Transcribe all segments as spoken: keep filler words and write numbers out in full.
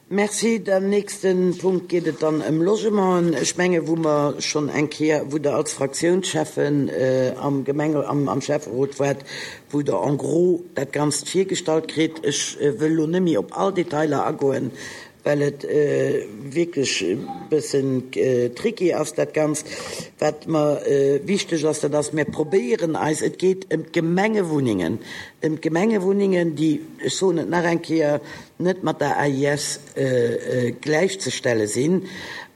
Merci. Den nächste Punkt geet et dann ëm Logementen. Ech menge wou mer schonn eng Kéier, wou Der als Fraktiounscheffen äh, am Gemenge am, am Schäfferot waart, wou Der en gros dat Ganzt virgestallt kritt. Ech äh, wëll lo net méi op all Detailer agoen, well et äh, wierklech e bëssen äh, tricky ass dat Ganzt. Wat mer äh, wichteg ass, dat ass, mir probéieren eis, et geet ëm d'Gemengewunnengen, ëm d'Gemengewunnengen, déi, ech soen et nach eng Kéier, net mat der A I S äh, äh, gläichzestelle sinn.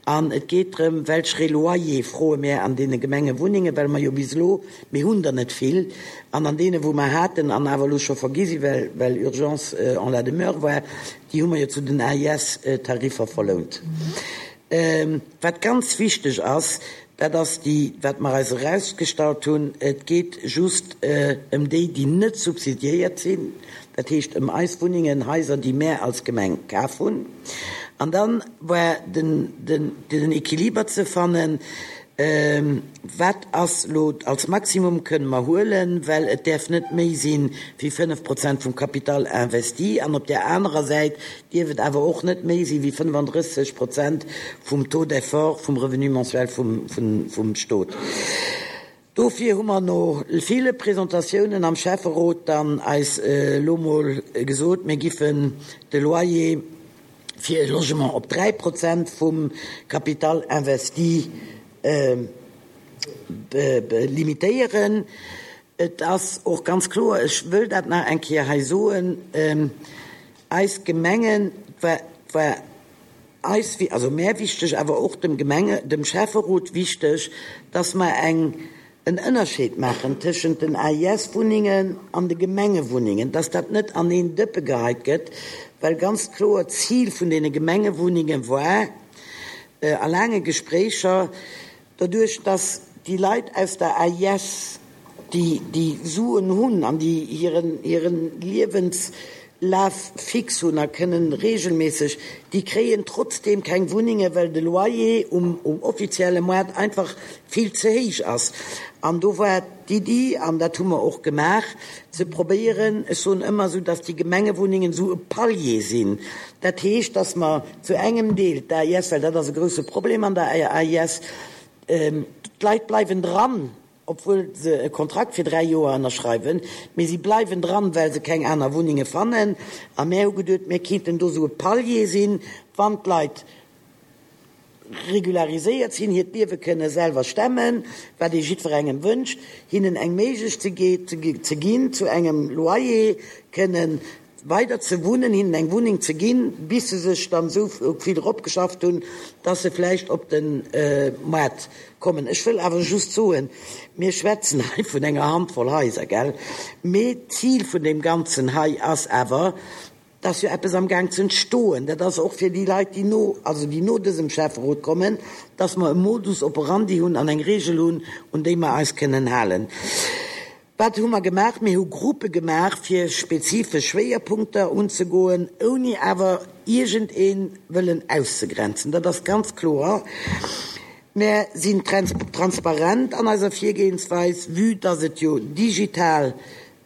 An et geet drëm, welche Loyer froe mir an deene Gemengewunnengen, well mer jo bis elo, mir hunn der net vill, an an deene wou mer haten an awer lo scho vergi sinn, well, well Urgence äh, en la demeure war, déi hu mer jo zu den A I S-Tariffer verlount. Ähm, wat ganz wichteg ass, dat ass déi, wat mer eis erausgestallt hunn, et geet just äh, ëm déi, déi net subsidiéiert sinn, dat heescht ëm eis Wunnengen, Haiser, déi mir als Gemeng kaf hunn. An dann war den, den, den Equiliber ze fannen, ähm, wat ass lo als Maximum kënne mer huelen, well et däerf net méi sinn wéi fënnef Prozent vum Capital investi an op der anerer Säit dierf et awer och net méi sinn wéi fënnefandrësseg Prozent vum Taux d'effort vum Revenu mensuel vum, vum, vum Stot. Dofir hu mer no ville Presentatiounen am Schäfferot dann eis äh, lo mol gesot, mir giffen de Loyer fir e Logement op dräi Prozent vum Capital investi äh, limitéieren. Et ass och ganz kloer, ech wëll dat nach eng Kéier hei soen, ähm, eis Gemengen war, war eis, also méi wichteg, awer och dem Gemenge, dem Schäfferot wichteg, dass mer eng en Ënnerscheed maachen tëschent den A I S-Wunnengen an de Gemengewunnengen, dass dat net an een Dëppe geheit gëtt, well ganz kloer Zil vun deene Gemengewunnenge war, äh, a laange Gespréicher, doduerch, dass déi Leit aus der A I S, déi, déi Suen hunn an déi hiren, hiren Liewenslaf fix hunn a kënnen regelméisseg, déi kréien trotzdem keng Wunnenge, well de Loyer um, um offizielle Moart einfach vill ze héich ass. An do war d'Iddi, an dat hu mer och gemaach, ze probéieren, ech soen ëmmer sou, dass déi Gemengewunnengen sou e Palier sinn. Dat heescht, dass mer zu engem Deel d'A I S, well dat ass e grousse Problem an der A I S, ähm, d'Leit bleiwen dran, obwuel se e Kontrakt fir dräi Joer ënnerschreiwen, mee si bleiwen dran, well se keng aner Wunnenge fannen. A mir hu geduecht, mir kéinten do sou e Palier sinn, wann d'Leit regulariséiert sinn, hiert Liewe kënne selwer stemmen, wat ee jiddwerengem wënscht, hinnen eng Méiglechkeet ze ginn, zu engem Loyer kënnen weider ze wunnen, hinnen eng Wunneng ze ginn, bis se sech dann sou vill eropgeschafft hunn, dass se vläicht op de äh, Moart kommen. Ech wëll awer just soen, mir schwätzen hei vun enger Handvoll Haiser, gell? Mee d'Zil vun deem Ganzen hei ass awer, dass jo eppes am Gaang ze entstoen. Dat ass och fir déi Leit, déi no, also déi no dësem Schäfferot kommen, dass mer e Modus operandi hunn an eng Regel hunn, un déi mer eis kënnen halen. Wat hu mer gemaach? Mir hu Gruppe gemaach, fir spezifesch Schwéierpunkter unzegoen, ouni awer iergendee wëllen auszegrenzen. Dat ass ganz kloer. Mir sinn transparent an eiser Virgehensweis, vue dass et jo digital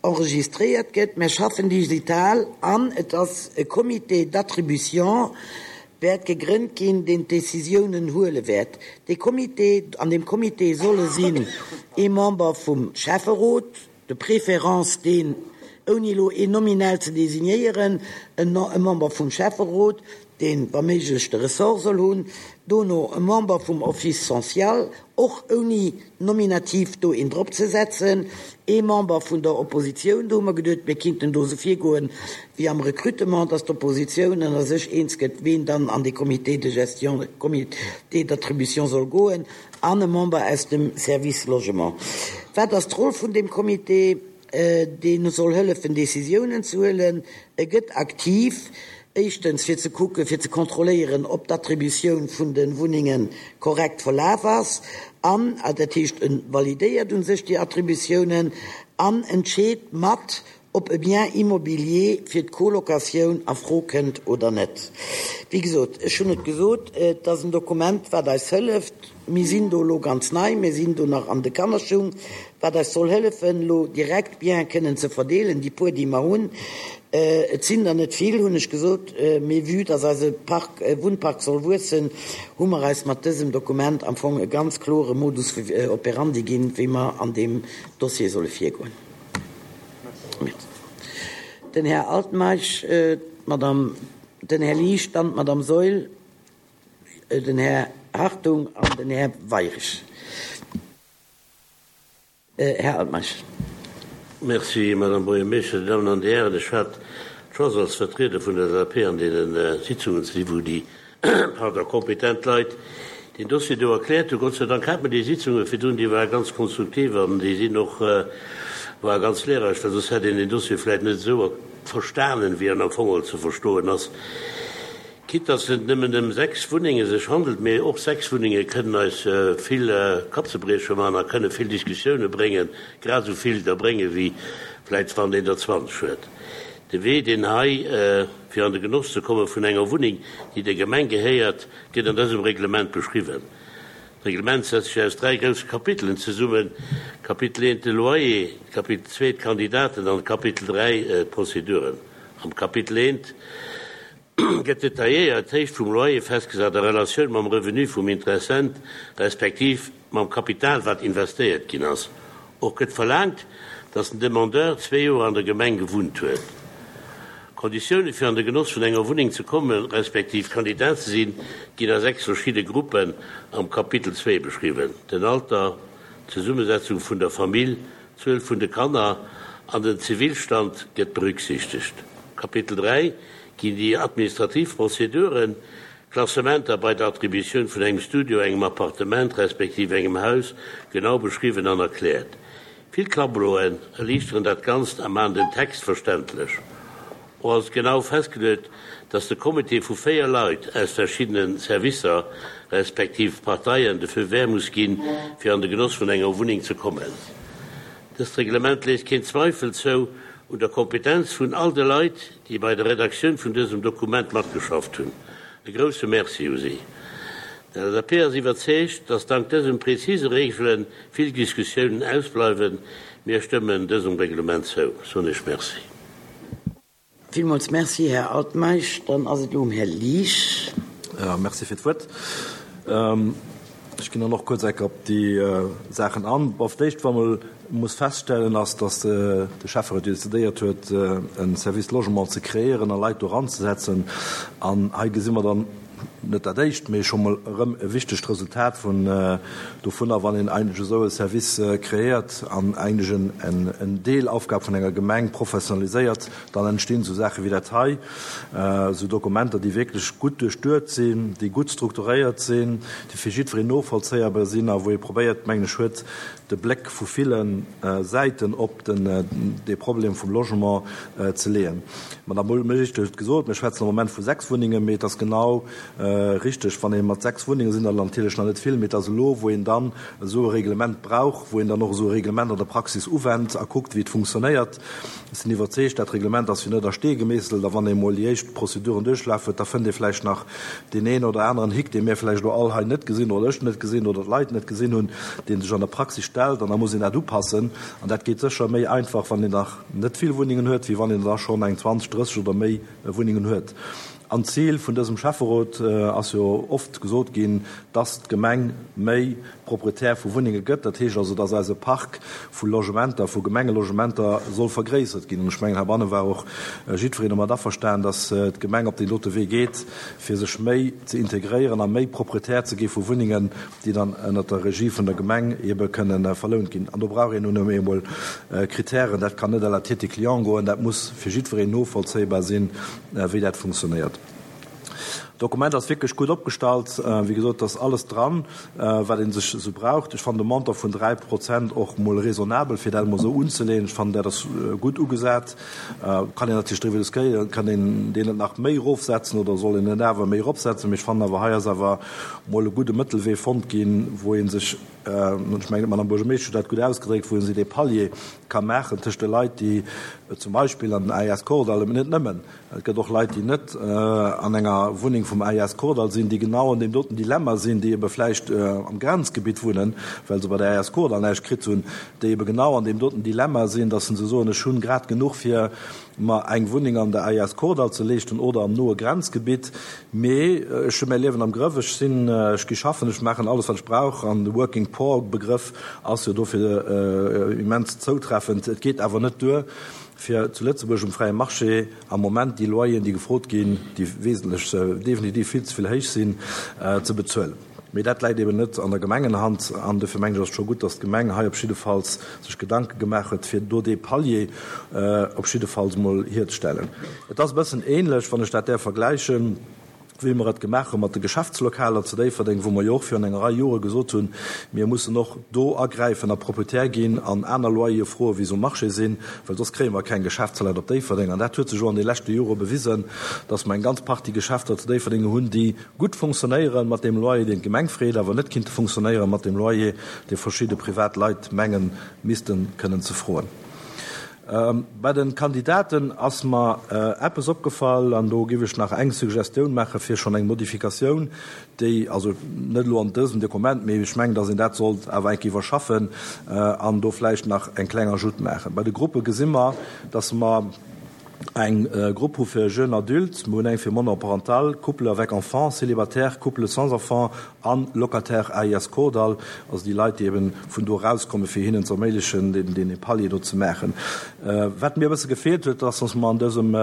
enregistréiert gëtt. Mir schaffen digital an et ass e Comité d'attribution wäert gegrënnt ginn, deen d'Décisiounen huele wäert. De Comité, an dem Comité solle sinn ee Member vum Schäfferot, de préférence deen, ouni lo een nominell ze designéieren, e Member vum Schäfferot, deen wa méiglech de Ressort soll hunn, dono e Member vum Office social, och ouni nominativ do een drop ze setzen, ee Member vun der Oppositioun, do hu mer geduecht, mir kinnten do sou virgoen wéi am Recrutement, dass d'Oppositioun ënner sech eens gëtt, wien dann an de Comité de gestion, Comité d'attribution soll goen, an e Member aus dem Service Logement. Wat ass d'Roll vun dem Comité? Dee soll hëllefen, Décisiounen ze huelen. E gëtt aktiv, éischtens fir ze kucken, fir ze kontrolléieren, ob d'Attributioun vun de Wunnenge korrekt verlaf ass, an dat heescht, e validéiert u sech déi Attributiounen an entscheet mat, ob e Bien immobilier fir d'Colocatioun a Fro kënnt oder net. Wéi gesot, ech hunn et gesot, et ass en Dokument, wat eis hëlleft. Mir sinn do elo ganz nei, mir sinn do nach an de Kannerschung, wat eis soll hëllefen, elo direkt Biene kënnen ze verdeelen, déi puer, déi mer hunn. Et sinn der net vill, hunn ech gesot, mee vue dass eise Park, Wunnpark soll wuessen, hu mer eis mat dësem Dokument am Fong e ganz klore Modus operandi ginn, wéi mer an deem Dossier solle virgoen. Den Här Altmeisch, d'Madame, den Här Liesch, dann d'Madame Saeul, den Här Hartung an den Här Weirich. Här Altmeisch. Merci, Madame Buergermeeschter. Dir Dammen an Dir Hären, ech hat d'Chance als Vertrieder vun der L S A P an deene Sitzungen ze sinn, wou déi, pardon, kompetent Leit deen Dossier do erkläert hunn. Gott sei Dank hat mer déi Sitzunge virdrun, déi ware ganz konstruktiv an déi sinn och, ware ganz lehrreich, well soss hätt een deen Dossier vläicht net esou verstanen, wéi en am Fong ze verstoen ass. Quitte dass et nëmmen ëm sechs Wunnenge sech handelt, mee och sechs Wunnenge kënnen eis vill Kappzebrieche maachen a kënne vill Diskussioune bréngen, grad esou vill der brénge wéi vläicht wann een der zwanzeg huet. De Wee, deen hei fir an de Genoss ze komme vun enger Wunneng, déi der Gemeng gehéiert, gëtt an dësem Reglement beschriwwen. D'Reglement setzt sech aus dräi grousse Kapitelen zesummen, Kapitel eent de Loyer, Kapitel zwee d'Kandidaten an Kapitel dräi d'Prozeduren. Am Kapitel eent gëtt detailléiert d'Héicht vum Loyer festgesat a Relatioun mam Revenu vum Interessent respektiv mam Kapital, wat investéiert ginn ass. Och gëtt verlaangt, dass den Demandeur zwee Joer an der Gemeng gewunnt huet. Konditioune fir an de Genoss vun enger Wunneng ze kommen, respektiv Kandidat ze sinn, ginn a sechs verschidde Gruppen am Kapitel zwee beschriwwen: den Alter, d'Zesummesetzung vun der Famill, d'Zuel vun de Kanner an den Zivilstand gëtt berücksichtegt. Kapitel dräi ginn déi administrativ Prozeduren, Klassementer bei der Attributioun vun engem Studio, engem Appartement respektiv engem Haus genau beschriwwen an erkläert. Vill Tableauen erliichteren dat Ganzt a maachen den Text verständlech. Och ass genau festgeluecht, dass de Comité vu véier Leit aus verschiddene Servicer respektiv Parteien de Feu vert muss ginn, fir an de Genoss vun enger Wunneng ze kommen. Dëst Reglement léisst keen Zweifel zou un der Kompetenz vun all de Leit, déi bei der Redaktioun vun dësem Dokument matgeschafft hunn. E grousse Merci u si. D' L S A P ass iwwerzeegt, dass dank dësem präzise Reegele vill Diskussiounen ausbleiwen. Mir stëmmen dësem Reglement zou. Soen ech Merci. Villmools Merci, Här Altmeisch. Dann ass et elo um Här Liesch. Ja, merci fir d'Wuert. Ech ginn dann och kuerz enk op déi Saachen an. Bon, fir d'éischt, wa mol muss feststellen, ass, dass de Schäfferot jo decidéiert huet, e Service Logement ze kreéieren a Leit do eranzesetzen. An hei gesi mer dann net dat éischt, mee scho mol erëm e wichtegt Resultat vun dovunner, wann een eigentlech esou e Service kreéiert an eigentlech en, en Deelaufgab vun enger Gemeng professionaliséiert, dann entstinn esou Saache wéi dat hei, esou Dokumenter, déi wierklech gutt duerchduet sinn, déi gutt strukturéiert sinn, déi fir jiddwereen novollzéierbar sinn a wou ee probéiert, mengen ech, huet de Bléck vu ville Säiten op den, dee Problem vum Logement ze leeën. D'Madame Buergermeeschtesch huet gesot, mir schwätzen am Moment vu sechs Wunnengen, mee et ass genau richteg, wann ee mat sechs Wunnenge sinn der natierlech nach net vill, mee et ass elo, wou een dann esou e Reglement brauch, wou een dann och esou e Reglement an der Praxis uwennt a kuckt, wéi et funktionéiert. Ech sinn iwwerzeegt, dat Reglement ass jo net a Stee gemeesselt, a wann ee mol déi éischt Prozeduren duerchlaf huet, da fënnt ee vläicht nach deen een oder aneren Hick, dee mir vläicht elo all hei net gesinn oder ech net gesinn oder d'Leit net gesinn hunn, dee sech an der Praxis stellt, an da muss een dat upassen. An dat geet sécher méi einfach, wann een nach net vill Wunnengen huet, wéi wann een da schonn eng zwanzeg, drësseg oder méi Wunnengen huet. An d'Zil vun dësem Schäfferot ass jo oft gesot ginn, dass d'Gemeng méi Proprietär vu Wunnenge gëtt. Dat heescht also, dass eise Park vu Logementer, vu Gemengelogementer soll vergréissert ginn. An ech mengen, heibanne war och jiddwereen domat averstanen, dass d'Gemeng op deen dote Wee geet, fir sech méi ze integréieren a méi Proprietär ze gi vu Wunnengen, déi dann ënnert der Regie vun der Gemeng ebe kënnen verlount ginn. An do brauch een nun emol Kritären. Dat kann net à la tête des clients goen. Dat muss fir jiddwereen novollzéibar sinn, wéi dat funktionéiert. D'Dokument ass wierklech gutt opgestallt. Wéi gesot, et ass alles dran, wat ee sech esou braucht. Ech fannen de Montant vun dräi Prozent och mol raisonnabel, fir dat emol esou unzeleeën. Ech fannen, dat ass gutt ugesat. Kann een natierlech driwwer diskutéieren, kann een deen net nach méi erofsetzen oder soll een en awer méi eropsetzen. Mee ech fannen awer, hei ass awer mol e gudde Mëttelwee fonnt ginn, wou ee sech, ech mengen, d'Madame Buergermeeschtesch huet dat gutt ausgedréckt, wou ee sech dee Palier ka maachen tëscht de Leit, déi zum Beispill an den A I S Kordall, mee net nëmmen, et gëtt och Leit, déi net an enger Wunneng vum A I S Kordall sinn, déi genau an deem doten Dilemma sinn, déi ebe vläicht am Grenzgebitt wunnen, well se bei der A I S Kordall näischt kritt hunn, déi ebe genau an deem doten Dilemma sinn, dass se soen, ech hunn grad genuch fir mer eng Wunneng an der A I S Kordall ze leeschten oder am noe Grenzgebitt, mee ech hu mäi Liewen am Grëff, ech sinn, ech gi schaffen, ech maachen alles wat ech brauch an de Working Poor Begrëff ass jo dofir immens zoutreffend. Et geet awer net duer fir zu Lëtzebuerg um fräie Marché am Moment déi Loyeren déi gefrot ginn, déi wesentlech, definitiv vill ze vill héich sinn, ze bezuelen. Mee dat läit eben net an der Gemengenhand an dofir mengen ech ass et scho gutt, datt d'Gemeng hei op jiddefalls sech Gedanke gemaach huet, fir do dee Palier op jiddefalls emol hierzestellen. Et ass e bëssen ähnlech, wann ech dat däerf vergläichen, wéi mer et gemaach hu mat de Geschäftslokaler zu Déifferdeng, wou mer jo och virun enger Rei Jore gesot hunn, mir mussen och do agräifen a Proprietär ginn an aner Loyere froen, wéi se um Marché sinn, well soss kréie mer keng Geschäftsleit op Déifferdeng. An dat huet sech och an de leschte Jore bewisen, dass mer eng ganz Partie Geschäfter zu Déifferdeng hunn, déi gutt funktionéiere mat deem Loyer, deen d'Gemeng freet, awer net kinnte funktionéiere mat deem Loyer, dee verschidde privat Leit mengen, misste kënnen ze froen. Bei den Kandidaten ass mer eppes opgefall, an do giff ech nach eng Suggestioun maache fir schonn eng Modifikatioun, déi, also net elo an dësem Dokument, mee ech mengen, datt een dat sollt awer eng Kéier iwwerschaffen an do vläicht nach eng kleng Ajoute maachen. Bei de Gruppe gesi mer, datt mer eng Grupp hu fir jeunes adultes, mer hunn eng fir monoparental, couples avec enfants, célibataires, couples sans enfants an locataires A I S Kordall, also déi Leit, déi eben vun do erauskommen, fir hinnen ze erméiglechen, deen Palier do ze maachen. Wat mir e bësse gefeelt huet, ass, dass mer an dësem,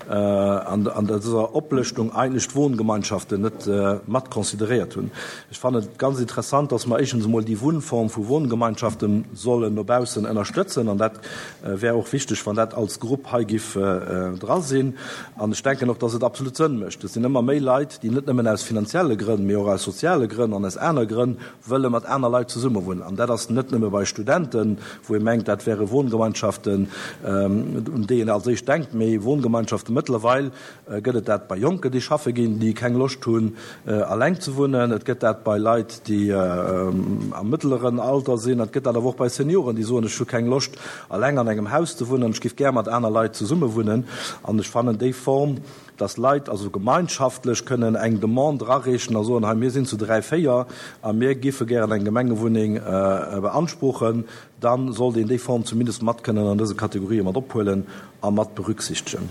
an dëser Oplëschtung eigentlech d'Wohngemeinschaften net mat consideréiert hunn. Ech fannen et ganz interessant, dass mer éischtens emol déi Wunnform vu Wohngemeinschaften sollen no baussen ënnerstëtzen, an dat wär och wichteg, wann dat als Grupp hei giff dra sinn. An ech denken och, dass et absolut Sënn mécht. Et sinn ëmmer méi Leit, déi net nëmmen aus finanzielle Grënn, mee och aus soziale Grënn an aus aner Grënn wëlle mat aner Leit zesummewunnen. An dat ass net nëmme bei Studenten, wou ee mengt, dat wäre Wohngemeinschaften, un déi een als éischt denkt, mee Wohngemeinschaften, mëttlerweil gëtt et dat bei Jonken, déi schaffe ginn, déi keng Loscht hunn, eleng ze wunnen. Et gëtt dat bei Leit, déi am mëttleren Alter sinn. Et gëtt dat awer och bei Senioren, déi soen, ech hu keng Loscht, eleng an engem Haus ze wunnen, ech géif gär mat aner Leit zesummewunnen. An ech fannen déi Form, dass Leit also gemeinschaftlech kënnen eng Demande erareechen a soen, hei mir sinn zu dräi, véier a mir géife gären eng Gemengewunneng beanspruchen, da sollt een déi Form zumindest mat kënnen an dëse Kategorië mat ophuelen a mat berücksichtegen.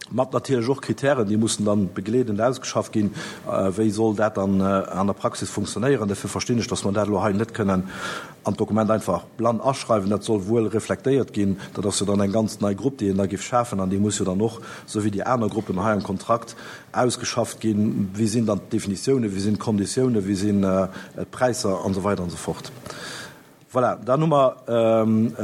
Mat natierlech och Kritären, déi mussen dann begleedend ausgeschafft ginn, wéi soll dat dann an der Praxis funktionéieren. Dofir verstinn ech, dass mer dat elo hei net kënnen an d'Dokument einfach blann aschreiwen. Dat soll wuel reflektéiert ginn. Dat ass jo dann eng ganz nei Grupp, déi een da géif schafen, an déi muss jo dann och, esou wéi déi aner Gruppen hei am Kontrakt, ausgeschafft ginn. Wéi sinn dann d'Definitiounen, wéi sinn d'Konditiounen, wéi sinn d'Präisser an esou weider an esou fort. Voilà, dann hu mer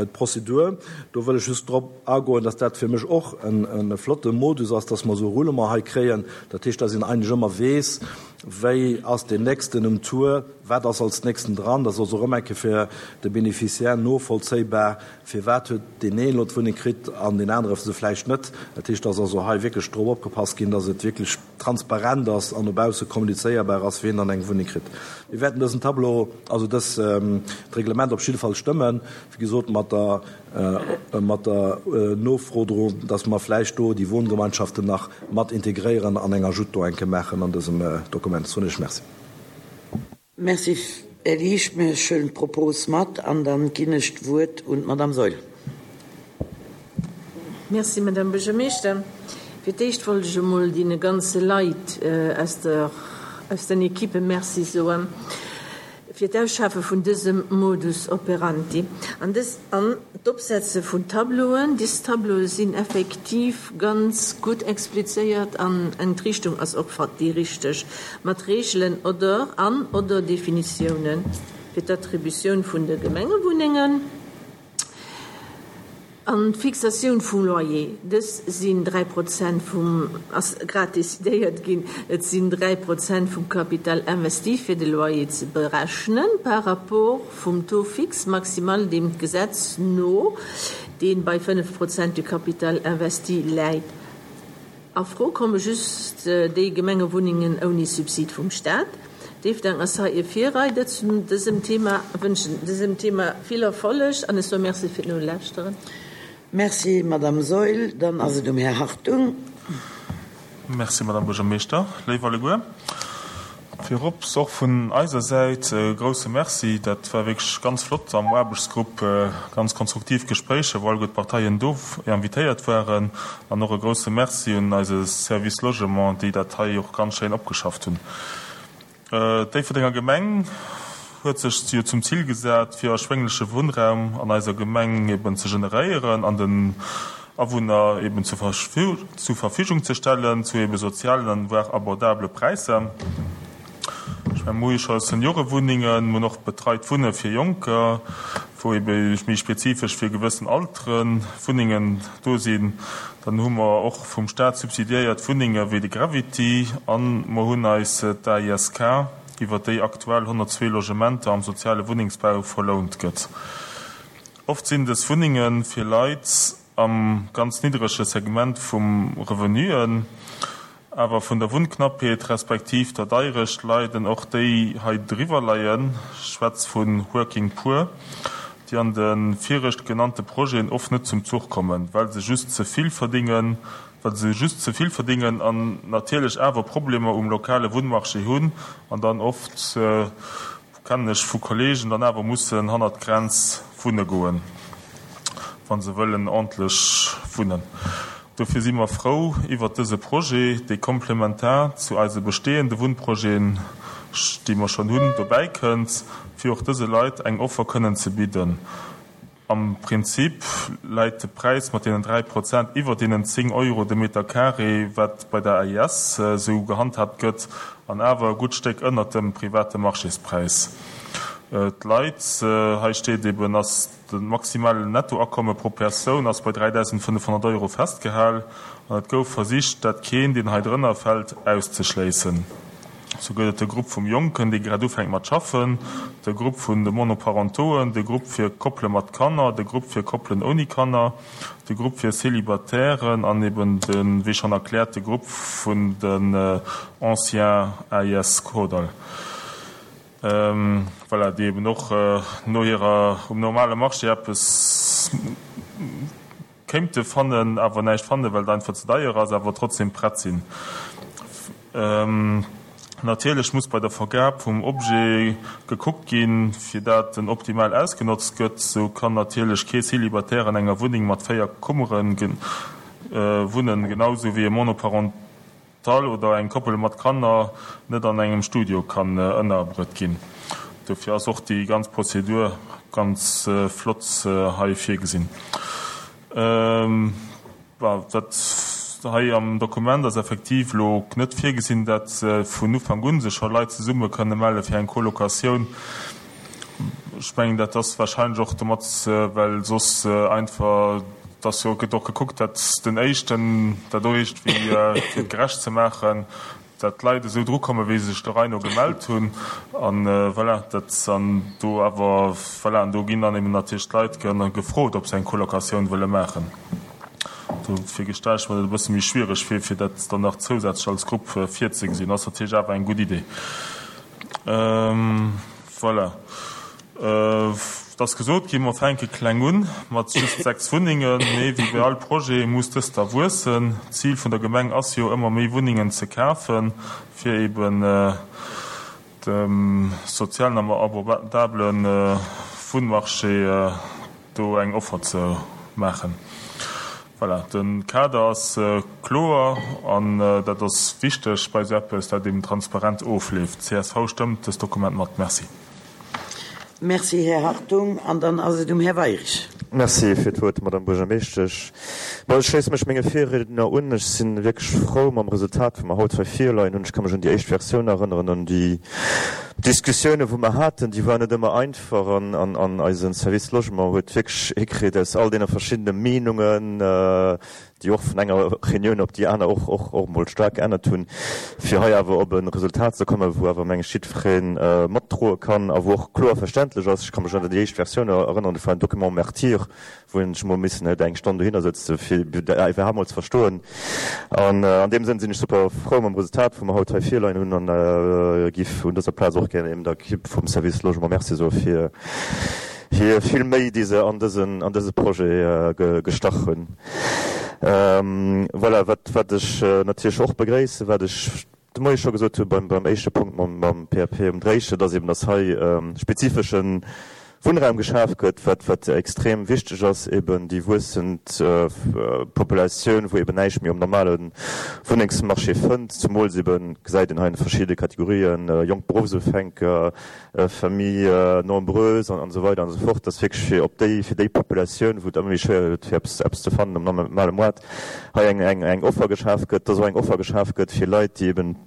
d'Prozedur. Do wëll ech just drop agoen, dass dat fir mech och e flotte Modus ass, dass mer esou e Roulement hei kréien. Dat heescht, dass een eigentlech ëmmer weess, wéi ass deen Nächsten um Tour, wat ass als Nächsten dran. Dat ass och ëmmer eng Kéier fir de Bénéficiaire novollzéibar, firwat huet deen een elo d'Wunneng kritt an deen anere se vläicht net. Dat heescht, dass also hei wierklech drop opgepasst ginn, dass et wierklech transparent ass an no bausse kommunizéierbar ass, wien dann eng Wunneng kritt. Mir wäerten dësen Tableau, also dës Reglement op jidde Fall stëmmen, wéi gesot mat der, mat der Nofro dru, dass mer vläicht do déi Wohngemeinschaften nach mat integréieren an eng Ajoute do eng Kéier maachen an dësem Dokument. Soen ech Merci. Merci, Här Liesch. Mir huelen d'Propos mat an dann ginn ech d'Wuert un d'Madame Saeul. Merci, Madame Buergermeeschter. Fir d'éischt wollt ech emol deene ganze Leit aus der, aus den Equippe Merci soen fir d'Ausschafe vun dësem Modus operandi an dës, an d'Opsetze vun Tableauen. Dës Tableaue sinn effektiv ganz gutt explizéiert an d'Richtung ass och déi richteg, mat Reegelen oder an oder Definitioune fir d'Attributioun vun de Gemengewunnengen. An d'Fixatioun vum Loyer, dës sinn dräi Prozent vum, ass grad decidéiert ginn, et sinn dräi Prozent vum Capital investi fir de Loyer ze berechnen par rapport vum Taux fixe maximal deem d'Gesetz no, dee bei fënnef Prozent du Capital investi läit. A Fro komme just déi Gemengewunnengen ouni Subsid vum Staat. Déifferdeng ass hei e Virreider zu dësem Thema. Wënschen dësem Thema vill Erfolleg an ech soe Merci fir d'Nolauschteren. Merci, Madame Saeul. Dann ass et um Här Hartung. Merci, Madame Buergermeeschter. Léif alleguer, virops och vun eiser Säit e grouse Merci. Dat war wierklech ganz flott am Aarbechtsgrupp, ganz konstruktiv Gespréicher, wou alleguer d'Parteien do invitéiert waren. An och e grouse Merci un eise Service Logement, déi dat hei och ganz schéin opgeschafft hunn. D'Déifferdenger Gemeng huet sech jo zum Zil gesat, fir erschwéngleche Wunnraum an eiser Gemeng eben ze generéieren an den Awunner eben zur Verfügung ze stellen, zu eben sozialen an voire abordabele Präisser. Ech mengen, mir hu jo scho Seniorewunnengen, mir hunn och betreit Wunne fir Jonker, wou ebe méi spezifesch fir gewëssen Altere Wunnengen do sinn. Dann hu mer och vum Staat subsidiéiert Wunnenge wéi de Gravity an mer hunn eis d'AISK, iwwer déi aktuell honnertzwee Logementer am soziale Wunnengsbau verlount gëtt. Oft sinn dës Wunnenge fir Leit am ganz niddrege Segment vum Revenuen. Awer vun der Wunnknappheet respektiv der Deirecht leiden och déi hei driwwer leien, schwätz vu Working Poor, déi an de virecht genannte Projeten oft net zum Zuch kommen, well se just ze vill verdingen, well se just ze vill verdingen an natierlech awer Problemer um lokale Wunnmarché hunn an dann oft, kennen ech vu Kollegen, dann awer mussen hannert d'Grenz wunne goen, wa se wëllen ordentlech wunnen. Dofir si mer frou iwwert dëse Projet, dee komplementar zu eise bestehende Wunnprojeten, déi mer schonn hunn, dobäi kënnt, fir och dëse Leit eng Offer kënnen ze bidden. Am Prinzip läit de Präis mat deenen dräi Prozent iwwer deenen zéng Euro de Meter carré, wat bei der A I S esou gehandhaabt gëtt, an awer e gutt Stéck ënnert dem private Marchéspräis. D'Leit, hei steet eben, ass de maximalen Nettoakomme pro Persoun ass bei dräidausendfënnefhonnert Euro festgehal an et gouf versicht, dat keen, deen hei drënner fält, auszeschléissen. Sou gëtt et de Grupp vum Jonken, dee grad ufänkt mat schaffen, de Grupp vun de Monoparentoen, de Grupp fir Koppele mat Kanner, de Grupp fir Koppelen ouni Kanner, de Grupp fir Celibatairen an eben de, wéi schonn erkläert, de Grupp vun den Anciens A I S Kordall. Voilà, déi eben och no hirer um normale Marché eppes kéinte fannen, awer näischt fannen, well et einfach ze deier ass, awer trotzdem prett sinn. Natierlech muss bei der Vergab vum Objet gekuckt ginn, fir dat en optimal ausgenotzt gëtt. Sou kann natierlech kee Célibataire an enger Wunneng mat véier Kummere wunnen, genau sou wéi e Monoparental oder eng Koppel mat Kanner net an engem Studio kann ënnerbruet ginn. Dofir ass och déi ganz Prozedur ganz flott hei virgesinn. Dat hei am Dokument ass effektiv elo net virgesinn, dat vun Ufank un sech scho Leit zesumme kënne melle fir eng Colocatioun. Ech mengen, dat ass wahrscheinlech och domat, well soss einfach, dass jo gëtt och gekuckt, dat den éischten dat och iergendwéi fir et gerecht ze maachen, dat d'Leit esou drukomme wéi se sech der Rei no gemellt hunn an voilà, dat an do awer voilà, an do ginn dann eben natierlech d'Leit gefrot, ob se eng Colocatioun wëlle maachen. Dofir gestelle ech mer dat e bësse méi schwiereg vir, fir dat dann nach zousätzlech als Grupp virzegesinn. Ass natierlech awer eng gutt Idee. Voilà. Et ass gesot ginn, mer fänke kleng un, mat just sechs Wunnengen, mee wéi bei all Projet muss dëst da wuessen. D'Zil vun der Gemeng ass jo, ëmmer méi Wunnengen ze kafen, fir eben dem sozialen an abordabele Wunnmarché do eng Offer ze maachen. Voilà, de Kader ass kloer an dat ass wichteg bei esou eppes, dat eben transparent ofleeft. C S V stëmmt dëst Dokument mat. Merci. Merci, Här Hartung. An dann ass et um Här Weirich. Merci fir d'Wuert, Madame Buergermeeschtesch. Bon, ech schléisse mech menge Virriedner un. Ech si wierklech frou mam Resultat, wou mer haut hei virleien hunn. Ech ka mech un déi éischt Versioun erënneren, un déi D'Diskussioune wou mer haten, déi waren net ëmmer einfach an an eise Service Logement huet wierklech hikritt aus all deene verschiddene Meenungen, déi och vun enger Reunioun op déi aner och och och emol staark geännert hunn, fir hei awer op e Resultat ze kommen, wou awer meng ech jiddweree matdroe kann a wou och kloer verständlech ass. Ech ka mech un déi éischt Versioun erënneren, dat war en Document martyr, wou een sech mol missen huet eng Stonn dohinner sëtze fir iwwerhaapt mol ze verstoen. An an deem Sënn sinn ech super frou mam Resultat, wou mer haut hei virleien hunn an giff un dëser Plaz och gär eben der Equipe vum Service Logement Merci soe fir hir vill Méi, déi se an dësen an dëse Projet gestach hunn. Voilà, wat wat ech natierlech och begréissen, wat ech de Moie scho gesot hu beim beim éischte Punkt mam mam P A P um Dréiche, dass eben dass hei spezifesche Wunnraum geschaf gëtt, wat wat extrem wichteg ass, eben déi wuessend Populatioun, wou eben näischt méi um normale Wunnengsmarché fënnt, zumools eben gesäit een hei an de verschidde Kategorien, jonk Beruffsufänker, Familles nombreuses an esou weider an esou fort, dass wierklech fir op déi fir déi Populatioun, wou et ëmmer méi schwéier gëtt fir eppes eppes ze fannen um normale Moart, hei eng eng eng Offer geschaf gëtt, dass och eng Offer geschaf gëtt fir Leit, déi eben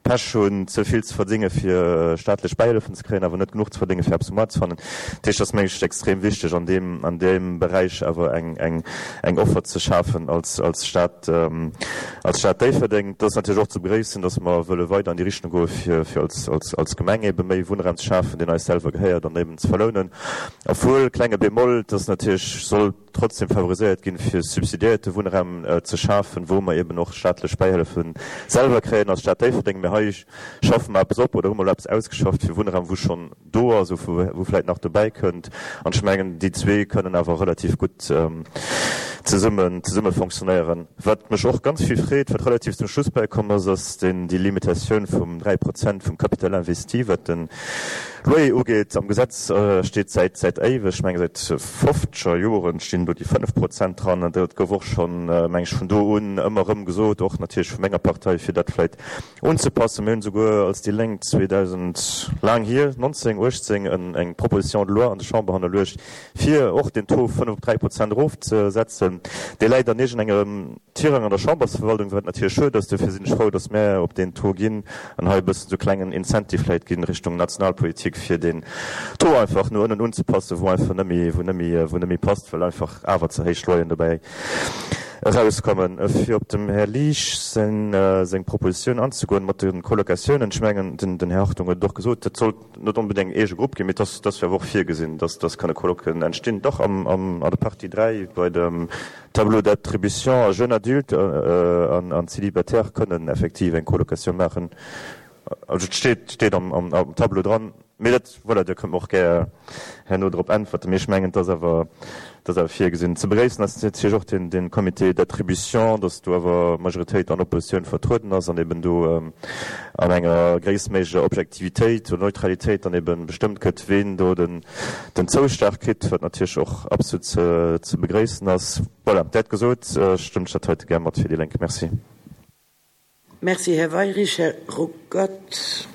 Pech hunn, ze vill ze verdénge fir staatlech Bäihëllefen ze kréien, awer net genuch ze verdénge fir eppes um Moart ze fannen. Dat heescht, et ass mengen ech extrem wichteg an deem an deem Beräich awer eng eng eng Offer ze schafen als als Stad als Stad Déifferdeng. Et ass natierlech och ze begréissen, datt mer wëlle weider an déi Richtung goe fir fir als als als Gemeng ebe méi Wunnraum ze schafen, deen eis selwer gehéiert an eben ze verlounen. Obwuel, klenge Bémol, et ass natierlech soll trotzdem favoriséiert ginn, fir subsidiéierte Wunnraum ze schafen, wou mer eben och staatlech Bäihëllefe selwer kréien als Stad Déifferdeng. Mee hei schaffe mer eppes op oder hu mer elo eppes ausgeschafft fir Wunnraum, wou schonn do ass ou wou vläicht nach dobäi kënnt. An ech mengen, déi zwee kënnen awer relativ gutt zesummen, zesumme fonctionnéieren. Wat mech och ganz vill freet, wat relativ zum Schluss bäikomm ass, ass deen, déi Limitatioun vum dräi Prozent vum Capital investi, wat de Loyer ugeet. Am Gesetz steet säit, säit éiweg, ech menge säit fofzeger Joren stinn do déi fënnef Prozent dran. An dat gouf och schonn, meng ech, vun do un ëmmer erëm gesot, och natierlech vu menger Partei, fir dat vläicht unzepassen. Mir hunn esouguer als déi Lénk zweedausend, laang hier, nonzéng, uechtzéng, eng Proposition de loi an der Chamber hannerluecht, fir och den Taux fënnef op dräi Prozent erofzesetzen. Dee läit an iergendengem Tirang an der Chambersverwaltung, wat natierlech schued ass. Dofir sinn ech frou, datt mär op deen Taux ginn an hei e bëssen esou klengen Incentive vläicht ginn Richtung Nationalpolitik, fir deen Taux einfach no ënnen unzepassen, wou einfach net méi, wou net méi, wou net méi passt, well einfach awer ze héich Loyeren dobäi erauskommen. Fir op dem Här Liesch seng, seng Propositioun anzegoen mat de Colocatiounen, ech mengen, den, den Här Hartung huet et och gesot, dat sollt net onbedéngt en eege Grupp ginn, mee et ass, et ass jo awer och virgesinn, dass, dass kënne Colocen entstinn. Dach am, am, an der Partie dräi bei dem Tableau d'attribution à jeunes adultes an, an célibataires kënnen effektiv eng Colocatioun maachen. Also et steet, steet am, am, am Tableau dran. Mee dat, voilà, Dir kënnt mer och gär herno drop äntwerten. Mee ech mengen, et ass awer, et ass awer virgesinn. Ze begréissen ass natierlech och den, den Comité d'attribution, dass do awer Majoritéit an Oppositioun vertrueden ass an eben do an enger gréisstméiglecher Objektivitéit oder Neutralitéit dann eben bestëmmt gëtt, ween do den, den Zouschlag kritt, wat natierlech och absolut ze, ze begréissen ass. Voilà, dat gesot, stëmmt ech dat heite gär mat fir déi Lénk. Merci. Merci, Här Weyrich. Här Ruckert.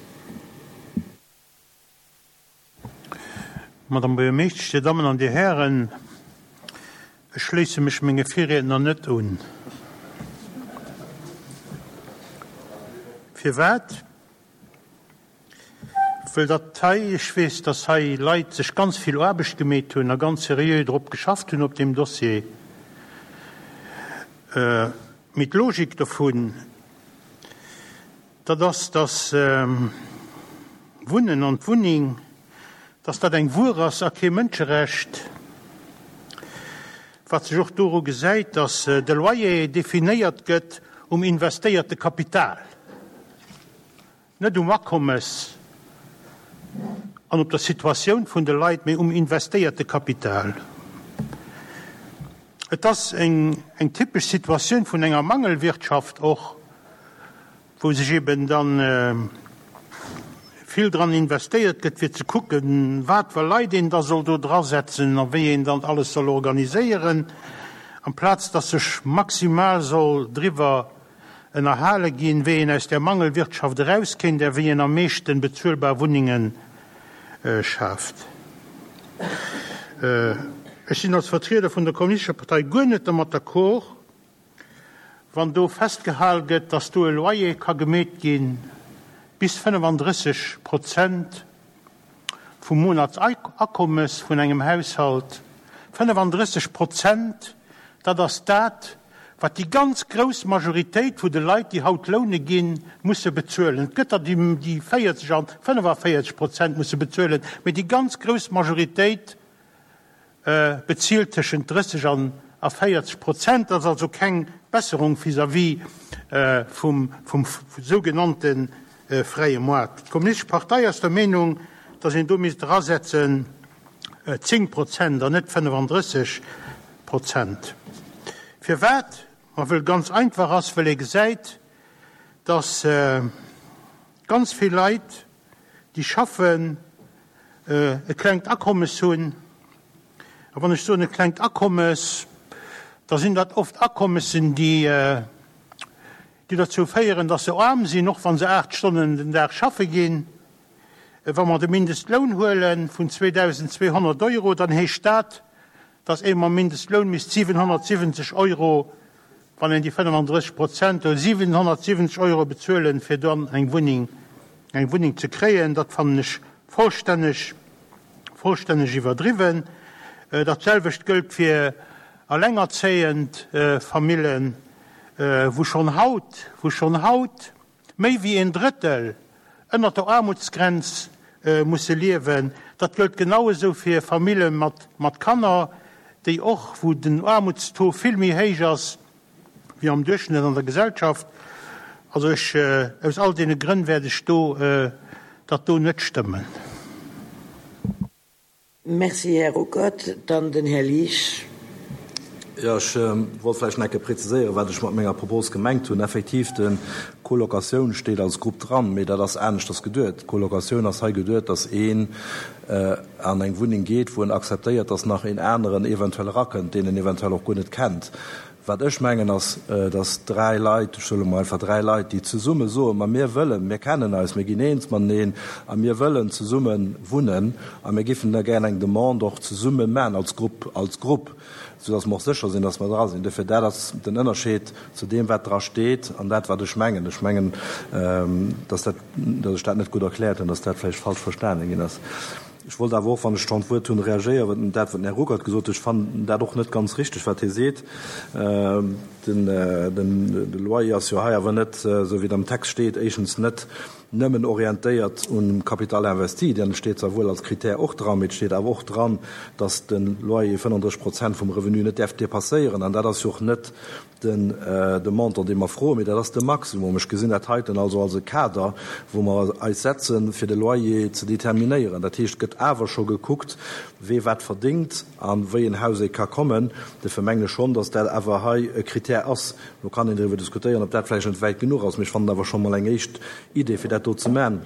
Madame Buergermeeschtesch, Dir Dammen an Dir Hären, ech schléisse mech menge Virriedner net un. Firwat? Wëll datt hei, ech weess, datt hei Leit sech ganz vill Aarbecht gemeet hunn a ganz seriö drop geschafft hunn op deem Dossier. Mee d'Logik dovun, dat ass, datt Wunnen an d'Wunneng, datt dat eng Wuer ass a kee Mënscherecht, wat sech och doru gesäit, datt de Loyer definéiert gëtt um investéierte Kapital, net um Akommes an op der Situatioun vun de Leit, mee um investéierte Kapital. Et ass eng eng typesch Situatioun vun enger Mangelwirtschaft och, wou sech eben dann vill dran investéiert gëtt, fir ze kucken, wat fir Leit een da soll do drasetzen a wéi een dann alles soll organiséieren, amplaz dass sech maximal soll driwwer ënnerhale ginn, wéi een aus där Mangelwirtschaft erauskéint a wéi een am meeschten bezuelbar Wunnenge schaaft. Ech sinn als Vertrieder vun der Kommunistescher Partei guer net dermat d'accord, wann do festgehal gëtt, dass do e Loyer ka gemeet ginn, bis fënnefandrësseg Prozent vum Monatsakommes vun engem Haushalt. fënnefandrësseg Prozent, dat ass dat, wat déi ganz grouss Majoritéit vu de Leit, déi haut loune ginn, musse bezuelen. Et gëtt der, déi véierzeg an fënnefavéierzeg Prozent musse bezuelen, mee déi ganz grouss Majoritéit bezilt tëschent drësseg an a véierzeg Prozent. Dat ass also keng Besserung vis-à-vis vum sougenannte fräie Moart. D'Kommunistesch Partei ass der Meenung, datt een do misst erasetzen zéng Prozent an net fënnefandrësseg Prozent. Firwat? Ma wëll ganz einfach ass, wëll ee gesäit, datt ganz vill Leit, déi schaffen, e klengt Akommes hunn. A wann ech soen e klengt Akommes, da sinn dat oft Akommessen, déi déi dozou féieren, datt se aarm sinn, och wa se aacht Stonnen den Dag schaffe ginn. Wa mer de Mindestloun huele vun zweedausendzweehonnert Euro, dann heescht dat, datt ee mam Mindestloun misst siwenhonnertsiwwenzeg Euro, wann een déi fënnefandrësseg Prozent huet, siwenhonnertsiwwenzeg Euro bezuelen, fir dann eng Wunneng, eng Wunneng ze kréien. Dat fannen ech vollstänneg, vollstänneg iwwerdriwwen. Dat selwecht gëllt fir allengerzéiend Famillen, wou schonn haut, wou schonn haut méi wéi een Drëttel ënnert der Aarmutsgrenz musse liewen. Dat gëllt genau esou fir Famille mat Kanner, déi och, wou den Aarmutstaux vill méi héich ass wéi am Duerchschnëtt an der Gesellschaft. Also ech, aus all deene Grënn wäert ech do dat do net stëmmen. Merci, Här Ruckert. Dann den Här Liesch. Jo, ech wollt vläicht nach eng Kéier präziséieren, wat ech mat menger Propos gemengt hunn. Effektiv, de Colocatioun steet als Grupp dran, mee dat ass aneschters geduet. D'Colocatioun ass hei geduet, dass een an eng Wunneng geet, wou en akzeptéiert, dass nach een aneren eventuell erakënnt, deen en eventuell och guer net kennt. Wat ech mengen ass, dass dräi Leit, ech soe mol einfach dräi Leit, déi zesumme soen, ma mir wëllen, mir kennen eis, mir ginn eens mateneen a mir wëllen zesumme wunnen a mir géifen da gär eng Demande och zesumme maachen als Grupp, als Grupp, soudass mer och sécher sinn, dass mer dra sinn. Dofir, dat ass den Ënnerscheed zu deem, wat dra steet an dat, wat ech mengen. Ech mengen, dass dat, dass ech dat net gutt erkläert hunn, dass dat vläicht falsch verstanen ginn ass. Ech wollt awer och, wann ech schonn d'Wuert hunn, reagéieren op dat, wat den Här Ruckert gesot huet. Ech fannen dat och net ganz richtig, wat hie seet. Den, de Loyer ass jo hei awer net, esou wéi et am Text steet, éischtens net nëmmen orientéiert um Capital investi, deen steet zwar wuel als Kritär och dran, mee et steet awer och dran, dass de Loyer fënnenddrësseg Prozent vum Revenu net däerf dépasséieren. An dat ass jo och net den de Montant, dee mer froen, mee dat ass de Maximum. Ech gesinn dat heiten also als e Kader, wou mer eis setzen, fir de Loyer ze determinéieren. Dat heescht, et gëtt awer scho gekuckt, wee wat verdéngt a wéi en Haus ee ka kommen. Dofir mengen ech schonn, dass dat awer hei e Kritär ass. Lo kann een driwwer diskutéieren, ob dat vläicht net wäit genuch ass, mee ech fannen awer scho mol eng éischt Idee, fir dat do ze man.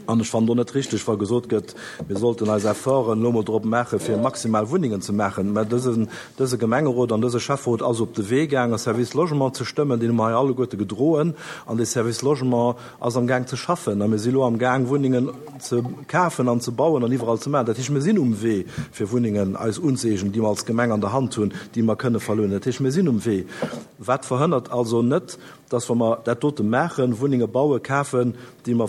An ech fannen och net richtig, wa gesot gëtt, mir sollten eis Efforten elo mol drop maachen, fir maximal Wunnengen ze maachen. Mä dësen, dëse Gemengerot an dëse Schäfferot ass op de Wee gaangen, e Service Logement ze stëmmen. Deen hu mer hei alleguerte gedroen. An dee Service Logement ass am Gaang ze schaffen. A mir si elo am Gaang, Wunnengen ze kafen an ze bauen an iwwerall ze maachen. Dat heescht, mir sinn um Wee, fir Wunnengen eis unzëeegnen, déi mer als Gemeng an der Hand hunn, déi mer kënne verlounen. Dat heescht, mir sinn um Wee. Wat verhënnert also net, dass, wa mer dat dote maachen, Wunnenge bauen, kafen, déi mer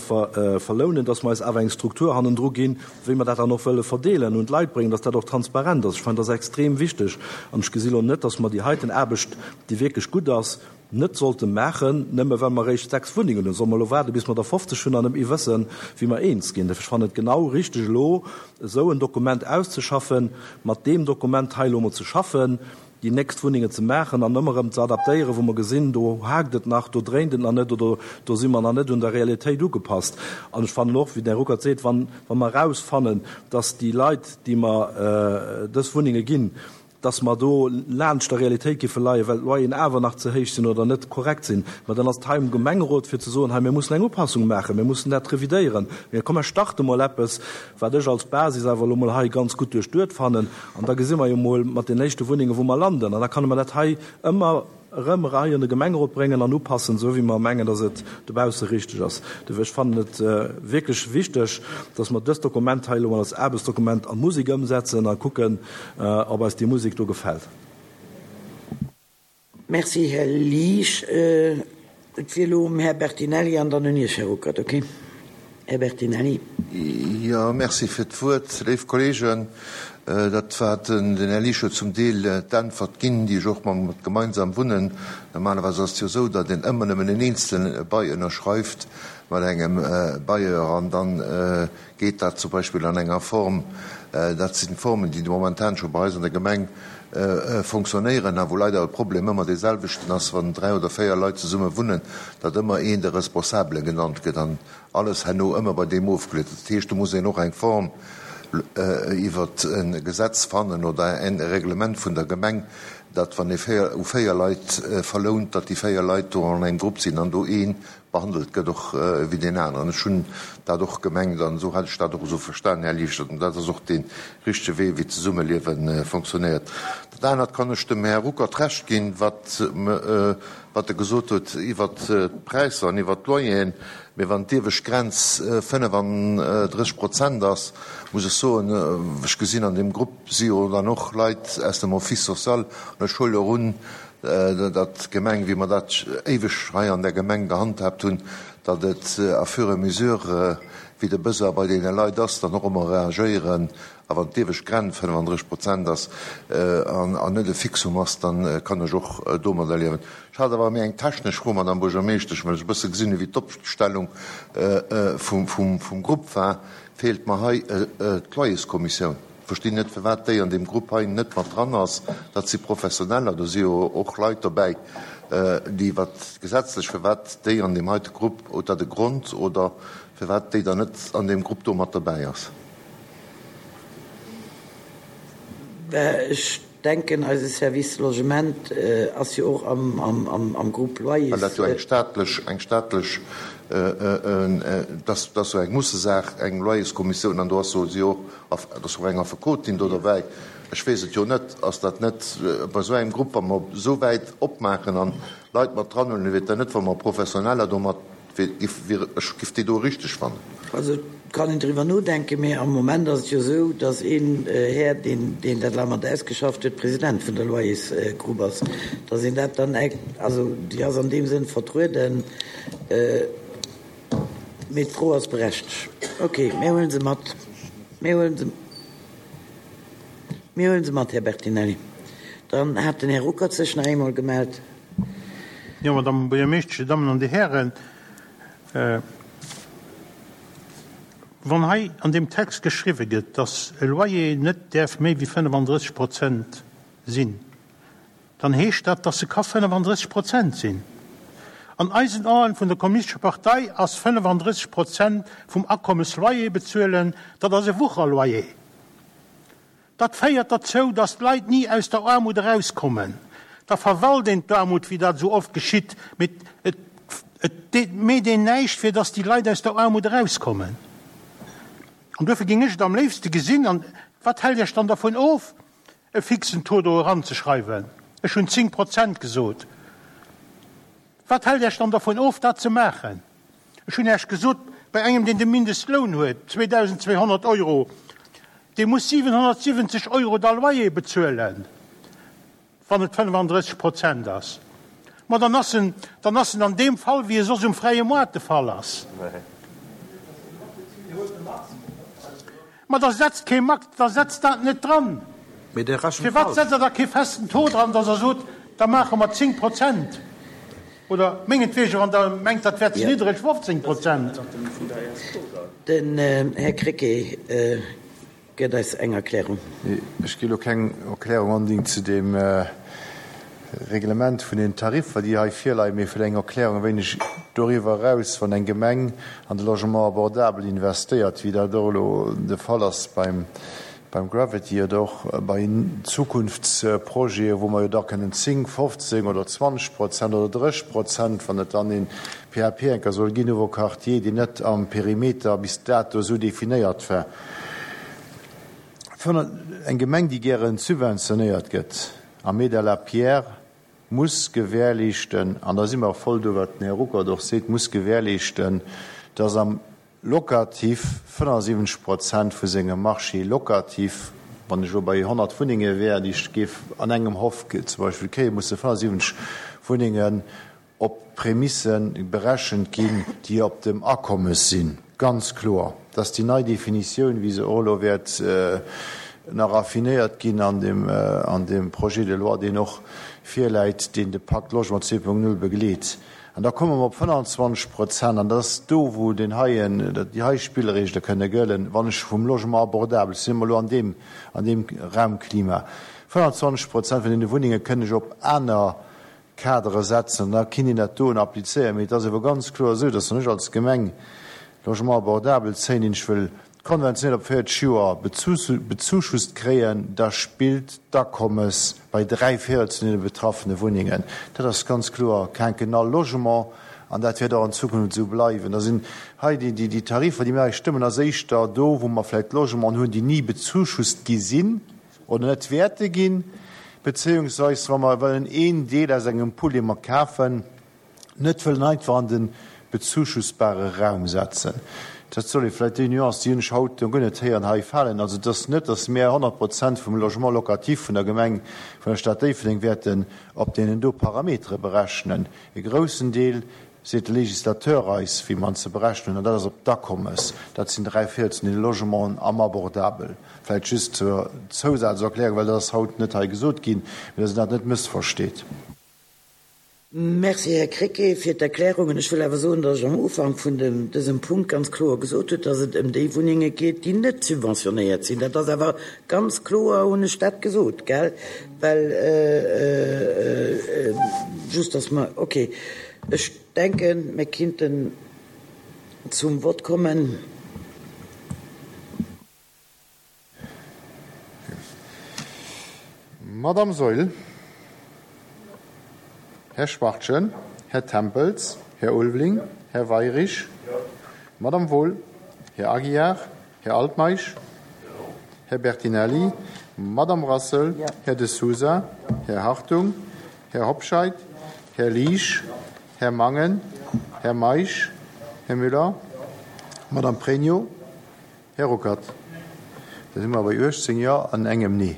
verlounen, dass mer eis awer eng Struktur hannendru ginn, wéi mer dat dann och wëlle verdeelen, un d'Leit bréngen, dass dat och transparent ass. Ech fannen, dat ass extrem wichteg. An ech gesi lo net, dass mer déi heiten Aarbecht, déi wierklech gutt ass, net sollte maachen, nëmme well mer eréischt sechs Wunnengen hunn. Solle mer elo waarden, bis mer der fofzeg hunn an net méi wëssen, wéi mer eens ginn? Ech fannen et genau richteg, elo esou en Dokument auszeschaffen, mat deem Dokument hei elo emol ze schaffen, déi nächst Wunnengen ze maachen an ëmmer erëm ze adaptéieren, wou mer gesinn, do haakt et nach, do dréint et nach net oder do si mer nach net un der Realitéit ugepasst. An ech fannen och, wéi den Här Ruckert seet, wann, wa mer erausfannen, dass déi Leit, déi mer dës Wunnenge ginn, dass mer do laanscht der Realitéit géife leien, well d'Loyeren awer nach ze héich sinn oder net korrekt sinn, ma dann ass et hei um Gemengerot fir ze soen, hei mir mussen eng Upassung maachen, mir mussen dat revidéieren, mä komm mer starte mol eppes, wat ech als Basis awer elo mol hei ganz gutt duerchduet fannen, an da gesi mer jo mol mat den éischte Wunnengen, wou mer landen, an da kann mer dat hei ëmmer erëm hei an de Gemengerot bréngen an upassen, esou wéi mer mengen, dass et dobausse richteg ass. Dofir, ech fannen et wierklech wichteg, dass mer dëst Dokument hei elo mol als Aarbechtsdokument an d'Musek ëmsetzen a kucken, ob eis déi Musek do gefält. Merci, Här Liesch. Et wier elo um Här Bertinelli an dann un Iech, Här Ruckert. Okay. Här Bertinelli. Jo, Merci fir d'Wuert, léif Kolleegen. Dat war den Här Liesch huet zum Deel d'Äntwert ginn, déi ech och mam gemeinsam Wunnen. Normalerweis ass et jo esou, datt een ëmmer nëmmen en eenzelen Bail ënnerschreift mat engem Bailleur an dann geet dat zum Beispill an enger Form, dat sinn Formen, déi momentan scho bei eis an der Gemeng fonctionnéieren a wou leider de Problem ëmmer dee selwechten ass, wann dräi oder véier Leit zesumme wunnen, datt ëmmer een de Responsabele genannt gëtt an alles herno ëmmer bei deem ofgeleet gëtt. Dat heescht, do muss een och eng Form iwwer e Gesetz fannen oder e Reglement vun der Gemeng, datt wann ee véier u véier Leit verlount, datt déi véier Leit do an engem Grupp sinn an do ee behandelt gëtt och wéi deen aneren. Ech hunn dat och gemengt an esou hat ech dat och esou verstanen, Här Liechert, an dat ass och dee richtege Wee, wéi d'Zesummeliewe fonctionnéiert. Dat anert kann ech dem Här Ruckert Recht ginn, wat wat e gesot huet iwwert d'Präisser an iwwert d'Loyeren. Mee wann d'iewescht Grenz fënnefandrësseg Prozent ass, muss ech soen, ech gesinn an deem Grupp si jo dann och Leit aus dem Office social, an ech huele och un, datt d'Gemeng, wéi mer dat éiweg hei an der Gemeng gehandhaabt hunn, datt et à fur et mesure, wéi de Besoin bei deene Leit ass, dann och ëmmer reagéieren. A wann d'iewescht Grenz fënnefandrësseg Prozent ass an net e Fixum ass, da kann ech och domadder liewen. Ech hat awer méi eng technesch Fro, Madame Buergermeeschtesch, well ech e bësse gesinn hunn, wéi d'Opstellung vum Grupp war, feelt mer hei d'Loyerskommissioun. Verstinn net, firwat déi an deem Grupp hei net mat dran ass. Dat si Professioneller, do si jo och Leit dobäi, déi wat gesetzlech, firwat déi an deem heite Grupp, huet dat e Grond oder firwat déi dann net an deem Grupp do mat dobäi ass? Ech denken, eise Service Logement ass jo och am Grupp Loyers. Well dat jo eng staatlech, eng staatlech, dat ass jo eng Mussesaach, eng Loyerskommissioun, an do ass jo si och, dat ass och eng Affekotin do derbäi. Ech weess et jo net, ass dat net bei esou engem Grupp, wa mer esou wäit opmaachen an Leit mat dran huelen, wier et dann net, wa mer Professioneller do mat Ech giff déi do richteg fannen. Also et kann een driwwer nodenken, mee am Moment ass et jo esou, datt een Här, deen deen dat elo mat ausgeschafft huet, President vun der Loyersgrupp ass, datt een dat dann, also déi ass an deem Sënn vertrueden. Mee d'Fro ass berechtegt. Okay, mir huele se mat. Mir huele se, mir huele se mat, Här Bertinelli. Dann hat den Här Ruckert sech nach eemol gemellt. Jo, Madame Buergermeeschtesch, Dir Dammen an Dir Hären, wann hei an deem Text geschriwwe gëtt, dass e Loyer net däerf méi wéi fënnefandrësseg Prozent sinn, dann heescht dat, dass e ka fënnefandrësseg Prozent sinn. An eisen Aen vun der Kommunistescher Partei ass fënnefandrësseg Prozent vum Akommes Loyer bezuelen, dat ass e Wucherloyer. Dat féiert derzou, dass d'Leit ni aus der Aarmut erauskommen. Da verwalt een d'Aarmut, wéi dat esou oft geschitt, mee et et meet een näischt, fir dass déi Leit aus der Aarmut erauskommen. An duerfir géing ech et am léifste gesinn, an wat hält Iech dann dervun of, e fixen Taux do eranzeschreiwen? Ech hunn zéng Prozent gesot. Wat hält Iech dann dervun of, dat ze maachen? Ech hunn Iech gesot, bei engem, deen de Mindestloun huet, zweedausendzweehonnert Euro, dee muss siwenhonnertsiwwenzeg Euro da Loyer bezuelen, wann et fënnefandrësseg Prozent ass. Ma dann ass en, dann ass en an deem Fall, wéi e soss um fräie Moart de Fall ass. Ma da setzt kee Max, da setzt dat net dran. Mee Dir rechent Firwat falsch. setzt Der da kee festen Taux dran, dass Der sot, da maache mer zéng Prozent oder mengetwegen, wann Der mengt, dat wär ze niddreg, fofzéng Prozent? Den Här Krecké gëtt eis eng Erklärung. Ech gi elo keng Erklärung onbedéngt zu deem Reglement vun den Tariffer, déi hei virleien, mee vläicht eng Erklärung e wéineg doriwwer eraus, wann eng Gemeng an de Logement abordable investéiert, wéi dat och elo de Fall ass beim Gravity oder och bei Zukunftsprojete, wou mer jo da kënnen zéng, fofzéng oder zwanzeg Prozent oder dréchg Prozent, wann et dann ee P A P enker soll ginn, nouveau Quartier, deen net am Perimeter bis dato esou definéiert war. Eng Gemeng, déi gäre subventionéiert gëtt am Aide à la pierre, muss gewährleeschten, an da si mer voll do, wat den Här Ruckert och seet, muss gewährleeschten, dass am Locatif fënnefundsiwwenzeg Prozent vu sengem Marché locatif, wann ech elo bei honnert Wunnenge wär, déi ech géif an engem Hoff zum Beispill kréien, musse fënnefundsiwwenzeg Wunnengen op Prämisse berechent ginn, déi op dem Akommes sinn. Ganz kloer, dass déi nei Definitioun, wéi se och elo wäert nach raffinéiert ginn an deem, an deem Projet de loi, deen och virläit, deen de Pacte Logement zwee Punkt null begleet. An da komme mer op fënnanzwanzeg Prozent, an dat ass do, wou deen heien, déi hei Spillregele kënne gëllen, wann ech vum Logement abordable, si mer elo an deem, an deem Raumklima, fënnanzwanzeg Prozent vun deene Wunnenge kënn ech op aner Kadere setzen, an da kinnt een dat doen applizéieren. Mee et ass awer ganz kloer esou, dass wann ech als Gemeng Logement abordable zéien, deen ech wëll konventionell op véierzeg Joer bezuschusst kréien, da spillt d'Akommes bei dräi Véierel zu deene betraffene Wunnengen. Dat ass ganz kloer quinquennal Logement an dat wäert och an Zukunft esou bleiwen. Da sinn hei déi Tarifer, déi mir hei stëmmen, ass éischter do, wou mer vläicht Logementen hunn, déi ni bezuschusst gi sinn oder net wäerte ginn, bezéiungsweis wa mer wëllen een Deel aus engem Pool, dee mer kafen, net wëllen einfach an de bezuschussbare Raum setzen. Dat soll ee vläicht, déi Nuance, déi hunn ech haut guer net héieren, hei falen. Also et ass net, datt mir honnert Prozent vum Logement locatif vun der Gemeng, vun der Stad Déifferdeng wäerten op deenen do Parametere berechnen. E groussen Deel, seet de Législateur eis, wéi mer en ze berechnen hunn, an dat ass op d'Akommes. Dat sinn dräi Véierel vun deene Logementen am Abordabel. Vläicht just zur Zousazerklärung, well dat ass haut net hei gesot ginn, mee datt een dat net mëssversteet. Merci, Här Krecké, fir d'Erklärungen. Ech wëll awer soen, datt ech am Ufank vun dësem Punkt ganz kloer gesot hunn, datt et ëm déi Wunnenge geet, déi net subventionéiert sinn. Dat ass awer ganz kloer, hunn ech dat gesot, gell? Well just, datt mer, okay, ech denken, mir kinnten zum Vott kommen. Madame Saeul, Här Schwachtgen, Här Tempels, Här Ulveling, Här Weirich, Madame Wohl, Här Aguiar, Här Altmeisch, Här Bertinelli, Madame Rassel, Här De Sousa, Här Hartung, Här Hobscheit, Här Liesch, Här Mangen, Här Meisch, Här Müller, Madame Pregno, Här Ruckert. Da si mer bei uechtzéng Jo an engem Nee.